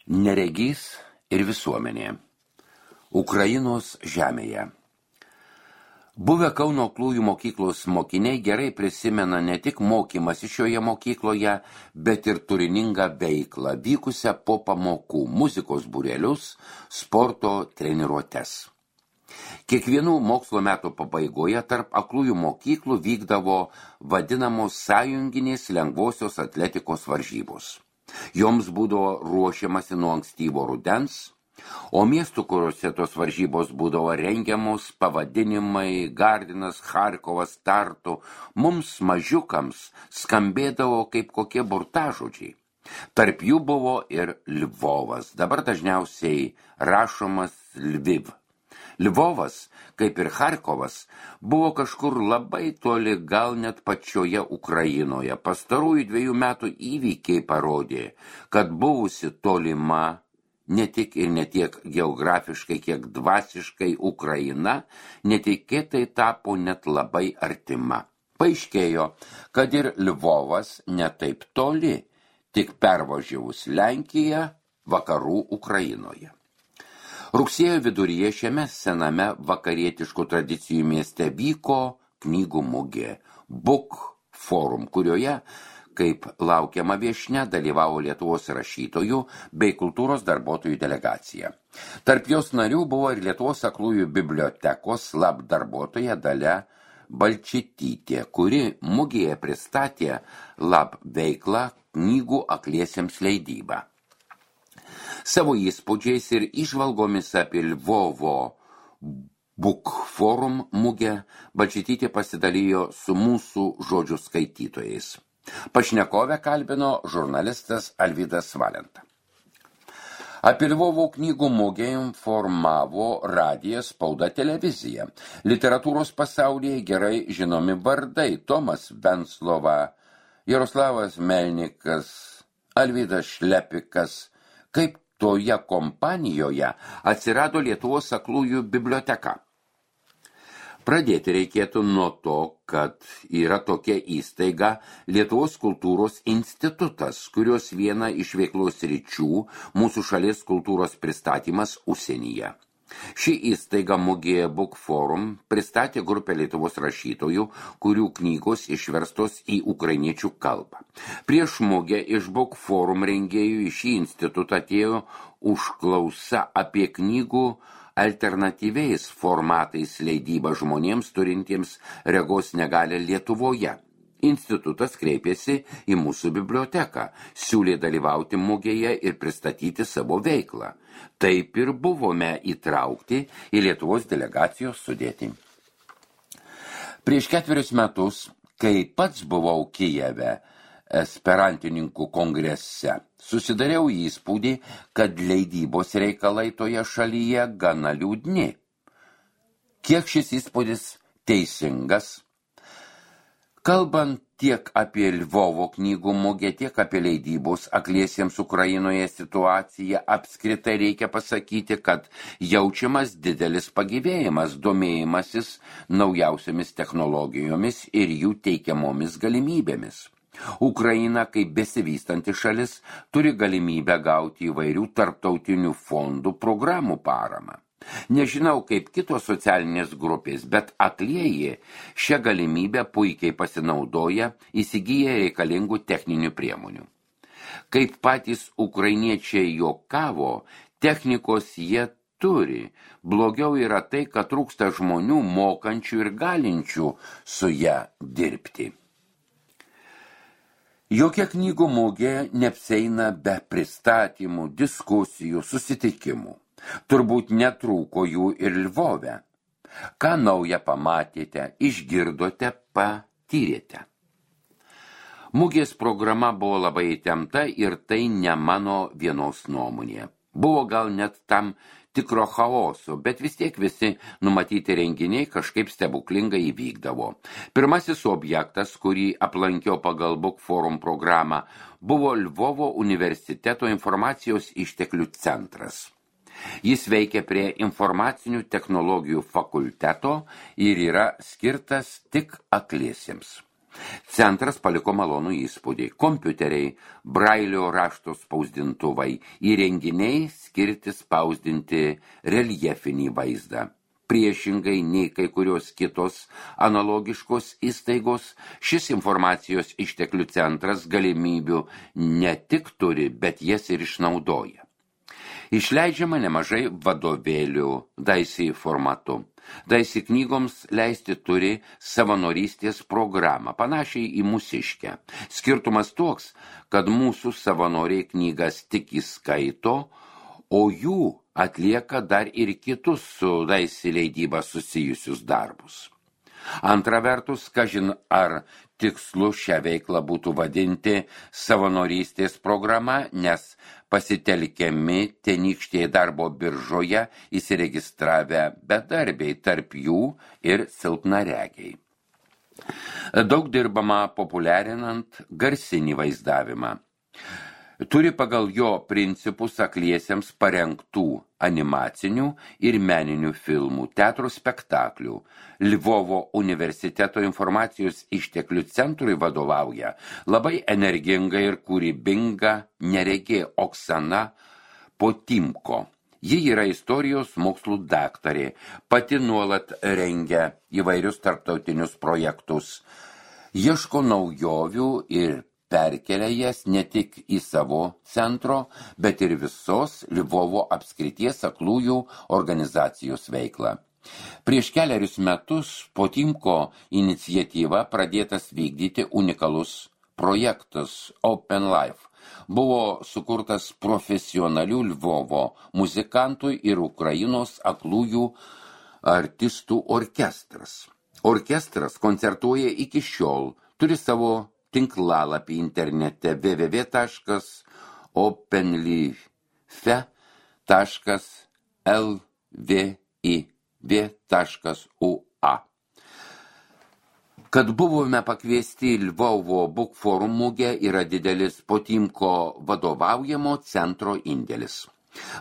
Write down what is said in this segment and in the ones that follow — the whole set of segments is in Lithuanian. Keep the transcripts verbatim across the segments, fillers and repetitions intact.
Neregys ir visuomenė. Ukrainos žemėje. Buvę Kauno aklųjų mokyklos mokiniai gerai prisimena ne tik mokymasi šioje mokykloje, bet ir turiningą veiklą, vykusią po pamokų, muzikos būrelius, sporto treniruotes. Kiekvienų mokslo metų pabaigoje tarp aklųjų mokyklų vykdavo vadinamos sąjunginės lengvosios atletikos varžybos. Joms būdavo ruošiamasi nuo ankstyvo rudens, o miestų, kuriuose tos varžybos būdavo rengiamos, pavadinimai Gardinas, Charkovas, Tartu, mums mažiukams skambėdavo kaip kokie burtažodžiai. Tarp jų buvo ir Lvovas, dabar dažniausiai rašomas Lviv. Lvovas, kaip ir Charkovas, buvo kažkur labai toli, gal net pačioje Ukrainoje. Pastarųjų dviejų metų įvykiai parodė, kad buvusi tolima, ne tik ir ne tiek geografiškai, kiek dvasiškai Ukraina, netikėtai tapo net labai artima. Paaiškėjo, kad ir Lvovas netaip toli, tik pervažiavus Lenkiją vakarų Ukrainoje. Rugsėjo viduryje šiame sename vakarietiškų tradicijų mieste vyko knygų mugė Book Forum, kurioje, kaip laukiama viešnia, dalyvavo Lietuvos rašytojų bei kultūros darbuotojų delegacija. Tarp jos narių buvo ir Lietuvos aklųjų bibliotekos lab darbuotoja Dalia Balčytytė, kuri mugėje pristatė lab veiklą knygų akliesiems leidybą. Savo įspūdžiais ir įžvalgomis apie Lvovo Book Forum mugę Balčytytė pasidalijo su mūsų žodžių skaitytojais. Pašnekovę kalbino žurnalistas Alvydas Valenta. Apie Lvovo knygų mugę informavo radijas, spauda, televizija. Literatūros pasaulyje gerai žinomi vardai Tomas Venclova, Jaroslavas Melnikas, Alvydas Šlepikas. Kaip toje kompanijoje atsirado Lietuvos aklųjų biblioteka. Pradėti reikėtų nuo to, kad yra tokia įstaiga Lietuvos kultūros institutas, kurios viena iš veiklos sričių mūsų šalies kultūros pristatymas užsienyje. Ši įstaiga mugėje Book Forum pristatė grupę Lietuvos rašytojų, kurių knygos išverstos į ukrainiečių kalbą. Prieš mugę iš Book Forum rengėjų į šį institutą atėjo užklausa apie knygų alternatyviais formatais leidybą žmonėms turintiems regos negalią Lietuvoje. Institutas kreipėsi į mūsų biblioteką, siūlė dalyvauti mugėje ir pristatyti savo veiklą. Taip ir buvome įtraukti į Lietuvos delegacijos sudėtį. Prieš ketverius metus, kai pats buvau Kijeve esperantininkų kongrese, susidariau įspūdį, kad leidybos reikalai toje šalyje gana liūdni. Kiek šis įspūdis teisingas? Kalbant tiek apie Lvovo knygų mugę, tiek apie leidybos akliesiems Ukrainoje situaciją, apskritai reikia pasakyti, kad jaučiamas didelis pagyvėjimas, domėjimasis naujausiamis technologijomis ir jų teikiamomis galimybėmis. Ukraina, kaip besivystanti šalis, turi galimybę gauti įvairių tarptautinių fondų programų paramą. Nežinau, kaip kitos socialinės grupės, bet aklieji šią galimybę puikiai pasinaudoja, įsigyja reikalingų techninių priemonių. Kaip patys ukrainiečiai juokavo, technikos jie turi. Blogiau yra tai, kad trūksta žmonių mokančių ir galinčių su ją dirbti. Jokia knygų mugė neapsieina be pristatymų, diskusijų, susitikimų. Turbūt netrūko jų ir Lvove. Ką naują pamatėte, išgirdote, patyrėte. Mugės programa buvo labai įtempta ir tai ne mano vienos nuomonė. Buvo gal net tam tikro chaoso, bet vis tiek visi numatyti renginiai kažkaip stebuklingai įvykdavo. Pirmasis objektas, kurį aplankiau pagal Book Forum programą, buvo Lvovo universiteto informacijos išteklių centras. Jis veikia prie informacinių technologijų fakulteto ir yra skirtas tik akliesiems. Centras paliko malonų įspūdį. Kompiuteriai, brailio rašto spausdintuvai, įrenginiai skirti spausdinti reljefinį vaizdą. Priešingai nei kai kurios kitos analogiškos įstaigos, šis informacijos išteklių centras galimybių ne tik turi, bet jas ir išnaudoja. Išleidžiama nemažai vadovėlių Daisy formatu. Daisy knygoms leisti turi savanorystės programą, panašiai į mūsiškę. Skirtumas toks, kad mūsų savanoriai knygas tik įskaito, o jų atlieka dar ir kitus su Daisy leidyba susijusius darbus. Antra vertus, kažin ar tikslu šią veiklą būtų vadinti savanorystės programa, nes pasitelkiami tenykštėje darbo biržoje įsiregistravę bedarbiai, tarp jų ir silpnaregiai. Daug dirbama populiarinant garsinį vaizdavimą. Turi pagal jo principus akliesiems parengtų animacinių ir meninių filmų, teatro spektaklių. Lvovo universiteto informacijos išteklių centrui vadovauja labai energinga ir kūrybinga neregė Oksana Potimko. Ji yra istorijos mokslų daktarė, pati nuolat rengia įvairius tarptautinius projektus, ieško naujovių ir perkelia jas ne tik į savo centro, bet ir visos Lvovo apskrities aklųjų organizacijos veiklą. Prieš keliarius metus Potimko iniciatyva pradėtas vykdyti unikalus projektas Open Life. Buvo sukurtas profesionalių Lvovo muzikantų ir Ukrainos aklųjų artistų orkestras. Orkestras koncertuoja iki šiol, turi savo tinklalapį internete w w w taškas openlife taškas l v i v taškas u a. Kad buvome pakviesti į Lvovo Book Forum mugę, yra didelis Potimko vadovaujamo centro indėlis.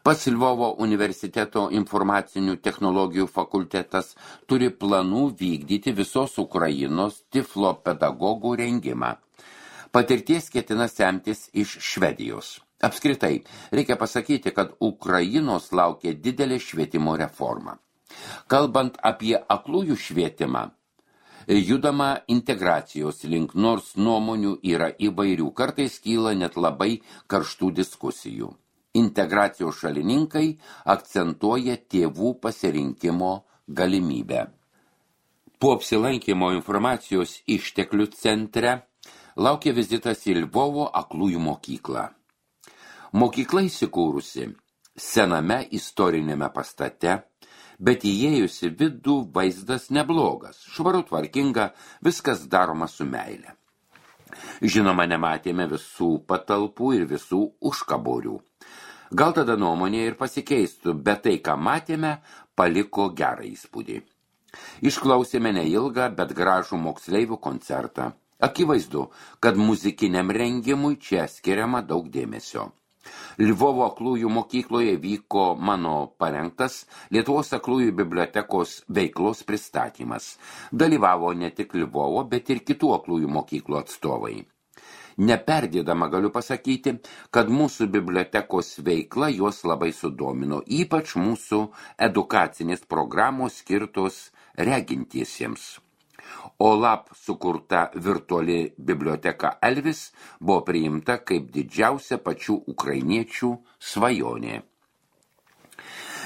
Pats Lvovo universiteto informacinių technologijų fakultetas turi planų vykdyti visos Ukrainos tiflo pedagogų rengimą. Patirties ketina semtis iš Švedijos. Apskritai, reikia pasakyti, kad Ukrainos laukia didelė švietimo reforma. Kalbant apie aklųjų švietimą, judama integracijos link, nors nuomonių yra įvairių, kartais kyla net labai karštų diskusijų. Integracijos šalininkai akcentuoja tėvų pasirinkimo galimybę. Po apsilankymo informacijos išteklių centre laukia vizitas į Lvovo aklųjų mokyklą. Mokykla įsikūrusi sename istorinėme pastate, bet įėjusi vidų vaizdas neblogas, švaru tvarkinga, viskas daroma su meile. Žinoma, nematėme visų patalpų ir visų užkaborių. Gal tada nuomonė ir pasikeistų, bet tai, ką matėme, paliko gerą įspūdį. Išklausėme neilgą, bet gražų moksleivių koncertą. Akivaizdu, kad muzikiniam rengimui čia skiriama daug dėmesio. Lvovo aklųjų mokykloje vyko mano parengtas Lietuvos aklųjų bibliotekos veiklos pristatymas. Dalyvavo ne tik Lvovo, bet ir kitų aklųjų mokyklų atstovai. Neperdėdama galiu pasakyti, kad mūsų bibliotekos veikla juos labai sudomino, ypač mūsų edukacinės programos skirtos regintiesiems. OLAP sukurta virtuali biblioteka Elvis buvo priimta kaip didžiausia pačių ukrainiečių svajonė.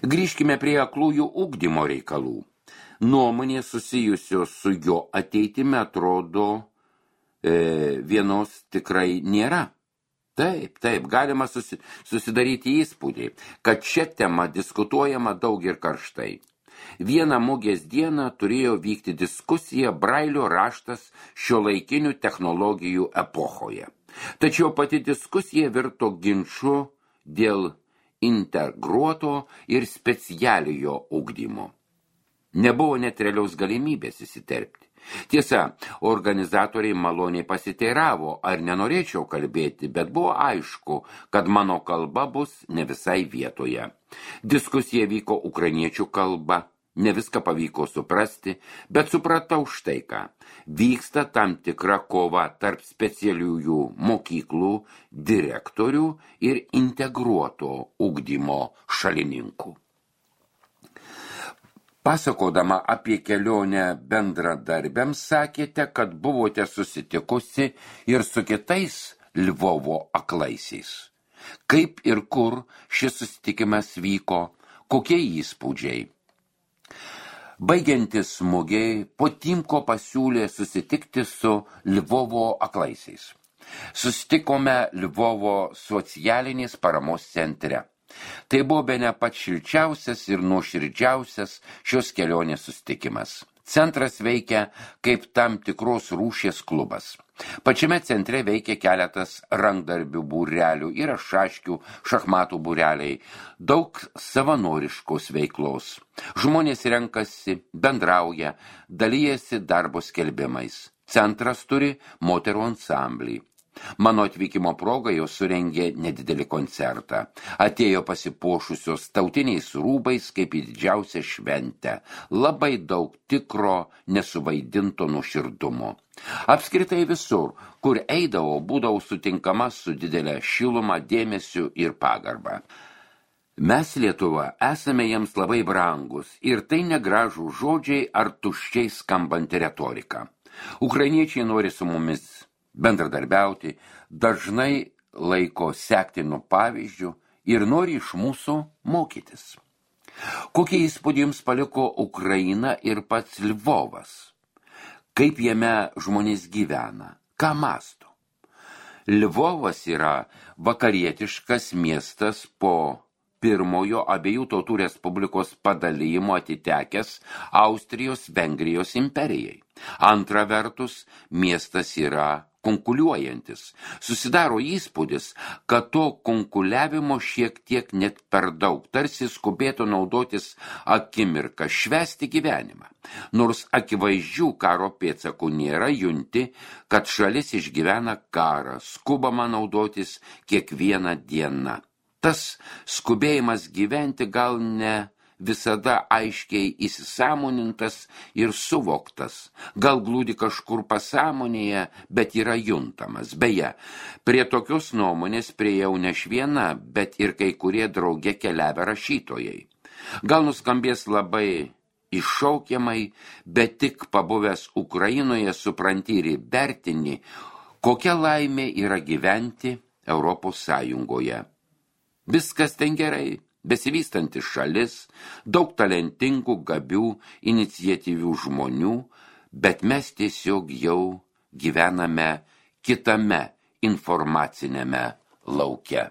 Grįžkime prie aklųjų ugdymo reikalų. Nuomonė susijusios su jo ateitimi atrodo e, vienos tikrai nėra. Taip, taip, galima susi, susidaryti įspūdį, kad šią temą diskutuojama daug ir karštai. Vieną mugės dieną turėjo vykti diskusija Brailio raštas šiuolaikinių technologijų epochoje. Tačiau pati diskusija virto ginču dėl integruoto ir specialiojo ugdymo. Nebuvo net realiaus galimybės įsiterpti. Tiesa, organizatoriai maloniai pasiteiravo, ar nenorėčiau kalbėti, bet buvo aišku, kad mano kalba bus ne visai vietoje. Diskusija vyko ukrainiečių kalba. Ne viską pavyko suprasti, bet supratau štai ką. Vyksta tam tikra kova tarp specialiųjų mokyklų direktorių ir integruoto ugdymo šalininkų. Pasakodama apie kelionę bendradarbiams sakėte, kad buvote susitikusi ir su kitais Lvovo aklaisiais. Kaip ir kur šis susitikimas vyko, kokie įspūdžiai? Baigiantis mugiai, Potimko pasiūlė susitikti su Lvovo aklaisiais. Susitikome Lvovo socialinės paramos centre. Tai buvo bene pats šilčiausias ir nuoširdžiausias šios kelionės susitikimas. Centras veikia kaip tam tikros rūšies klubas. Pačiame centre veikia keletas rankdarbių būrelių, yra šaškių, šachmatų būreliai, daug savanoriškos veiklos. Žmonės renkasi, bendrauja, dalyjasi darbo skelbimais. Centras turi moterų ansamblį. Mano atvykimo proga jau surengė nedidelį koncertą. Atėjo pasipuošusios tautiniais rūbais kaip į didžiausią šventę. Labai daug tikro, nesuvaidinto nuoširdumo. Apskritai visur, kur eidavau, būdavau sutinkama su didelė šiluma, dėmesiu ir pagarba. Mes Lietuva esame jiems labai brangus ir tai negražų žodžiai ar tuščiai skambanti retorika. Ukrainiečiai nori su mumis bendradarbiauti, dažnai laiko sektinu pavyzdžių ir nori iš mūsų mokytis. Kokie įspūdį jums paliko Ukraina ir pats Lvovas? Kaip jame žmonės gyvena? Ką mąsto? Lvovas yra vakarietiškas miestas po pirmojo abiejų tautų respublikos padalijimo atitekęs Austrijos-Vengrijos imperijai. Antra vertus, miestas yra konkuliuojantis. Susidaro įspūdis, kad to konkuliavimo šiek tiek net per daug, tarsi skubėtų naudotis akimirką, švęsti gyvenimą. Nors akivaizdžių karo pėdsakų nėra, junti, kad šalis išgyvena karą, skubama naudotis kiekvieną dieną. Tas skubėjimas gyventi gal ne visada aiškiai įsisąmonintas ir suvoktas, gal glūdi kažkur pasąmonėje, bet yra juntamas. Beje, prie tokios nuomonės priejau ne aš viena, bet ir kai kurie drauge keliavę rašytojai. Gal nuskambės labai iššaukiamai, bet tik pabuvęs Ukrainoje supranti ir įvertini, kokia laimė yra gyventi Europos Sąjungoje. Viskas ten gerai. Besivystanti šalis, daug talentingų, gabių, iniciatyvių žmonių, bet mes tiesiog jau gyvename kitame informacinėme lauke.